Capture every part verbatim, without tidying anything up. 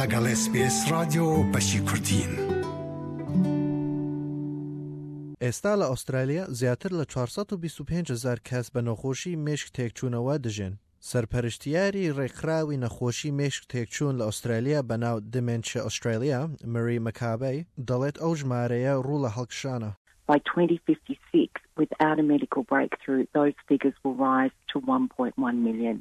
لەگەڵ ئێس بی ئێس ڕادیۆ بەشی کوردین. ئێستا لە ئوسترالیا زیاتر لە چوار سەد و بیست و پێنج هەزار کەس بە نەخۆشی مێشک تێکچوونەوە دەژین. سەرپەرشتیاری ڕێکخراوی نەخۆشی مێشک تێکچوون لە ئوسترالیا بەناو Dementia Australia، مری مەکابی، دەڵێت ئەو ژمارەیە ڕوو لە هەڵکشانە. By twenty fifty-six, without a medical breakthrough, those figures will rise to one point one million.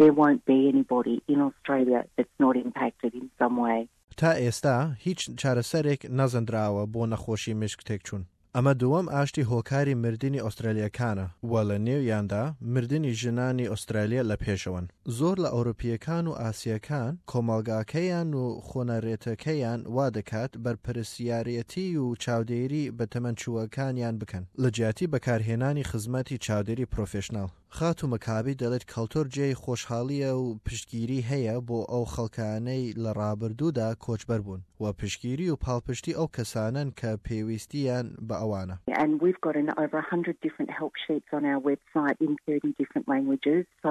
There won't be anybody in Australia that's not impacted in some way. تا ئێستا هیچ چارەسەرێک نەزانراوە بۆ نەخۆشی مێشک تێکچوون. ئەمە دووەم ئاستی هۆکاری مردنی ئوسترالیەکانە و لە نێویاندا مردنی ژنانی ئوسترالیا لە پێشەوەن. زۆر لە ئەوروپیەکان و ئاسیەکان کۆمەڵگاکەیان و خۆنەرێتەکەیان وا دەکات بەرپرسیارەتی و چاودێری بە تەمەنچووەکانیان بکەن لە جیاتی بەکارهێنانی خزمەتی چاودێری پرۆفشناڵ. خاتوو مەکابی دەڵێت کەلتۆر جێی خۆشحاڵیە و پشتگیری هەیە بۆ ئەو خەڵکانەی لە ڕابردوودا کۆچبەر بوون و پشتگیری و پاڵپشتی ئەو کەسانن کە پێویستیان بە ئەوانە. And we've got an over one hundred different help sheets on our website in thirty different languages. So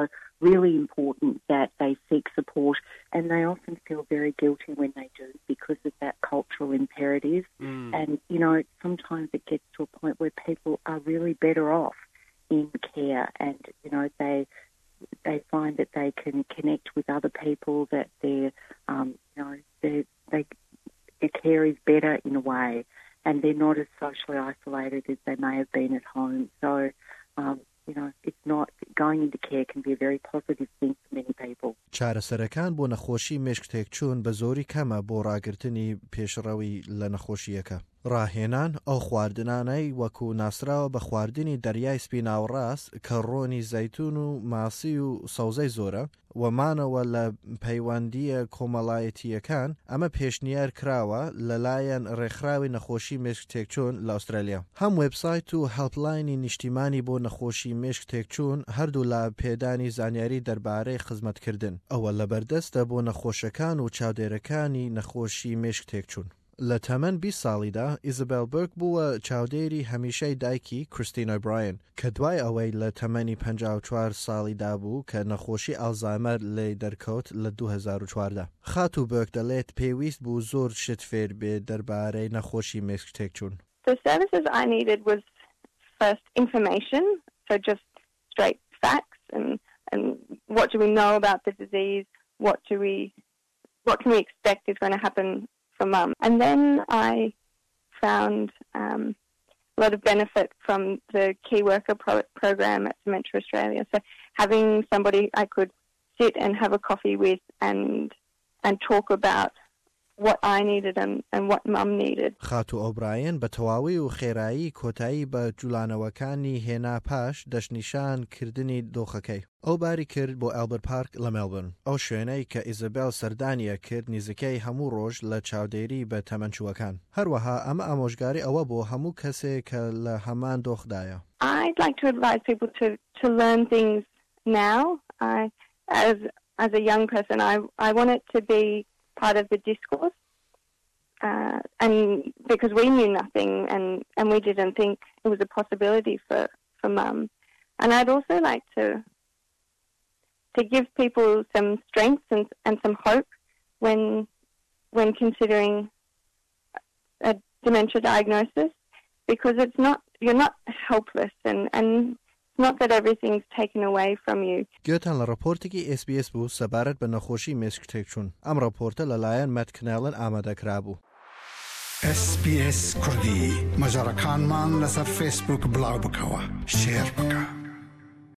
really important that they seek support, and they often feel very guilty when they do because of that cultural imperative. Mm. And, you know, sometimes it gets to a point where people are really better off in care and, you know, they they find that they can connect with other people, that their, um, you know, their, they, their care is better in a way and they're not as socially isolated as they may have been at home. So, um, you know, it's not going into care can be a very positive thing for many people. چارەسەرەکان بۆ نەخۆشی مێشک تێکچوون بە زۆری کەمە بۆ ڕاگرتنی پێشڕەوی لە نەخۆشیەکە. ڕاهێنان ئەو خواردنانەی وەکو ناسراوە بە خواردنی دەریای سپی ناوەڕاست کە ڕۆنی زەیتون و ماسی و سەوزەی زۆرە و مانەوە لە پەیوەندیە کۆمەڵایەتیەکان، ئەمە پێشنیار کراوە لەلایەن ڕێکخراوی نەخۆشی مێشک تێکچوون لە ئوسترالیا. هەم وێبسایت و helpline ی نیشتیمانی بۆ نەخۆشی مێشک تێکچوون هەردوو لە پێدانی زانیاری دەربارەی خزمەتکردن ئەوە لەبەردەستە بۆ نەخۆشەکان و چاودێرەکانی نەخۆشی مێشک تێکچوون. لە تەمەن بیست ساڵیدا ئیزابێل بێرک بووە چاودێری هەمیشەی دایکی کریستین ئۆبراین کە دوای ئەوەی لە تەمەنی پەنجا و چوار ساڵیدا بوو کە نەخۆشی ئالزایمەر لێ دەرکەوت لە دوو هەزار و چواردە. خاتوو بێرک دەڵێت پێویست بوو زۆر شت فێر بێ دەربارەی نەخۆشی مێشک تێکچوون. The services I needed was first information, so just straight facts and, and what do we know about the disease, what do we what can we expect is going to happen for Mum. And then I found um, a lot of benefit from the Key Worker pro- program at Dementia Australia. So having somebody I could sit and have a coffee with and and talk about what I needed and, and what Mum needed. خاتوو ئۆبراین بە تەواوی و خێرایی کۆتایی بە جوڵانەوەکانی هێنا پاش دەستنیشان کردنی دۆخەکەی. ئەو باری کرد بۆ ئەلبەرت پارک لە مێلبرن، ئەو شوێنەی کە ئیزابێل سەردانیە کرد نزیکەی هەموو ڕۆژ لە چاودێری بە تەمەنچووەکان. هەروەها ئەمە ئامۆژگاری ئەوە بۆ هەموو کەسێک کە لە هەمان دۆخدایە. I'd like to advise people to, to learn things now. I, as, as a young person, I, I want it to be part of the discourse. Uh, and because we knew nothing and, and we didn't think it was a possibility for, for Mum. And I'd also like to to give people some strength and, and some hope when when considering a dementia diagnosis, because it's not you're not helpless and, and it's not that everything's taken away from you. گوێتان لە ڕپۆرتێکی ئێس بی ئێس بوو سەبارەت بە نەخۆشی مێشک تێکچوون. ئەم ڕپۆرتە لەلایەن مەت کنێڵن ئامادەکرابوو. ئێس بی ئێس کوردی مەجەڕەکانمان لەسەر فەیسبوک بڵاو بکەوە، share بکە.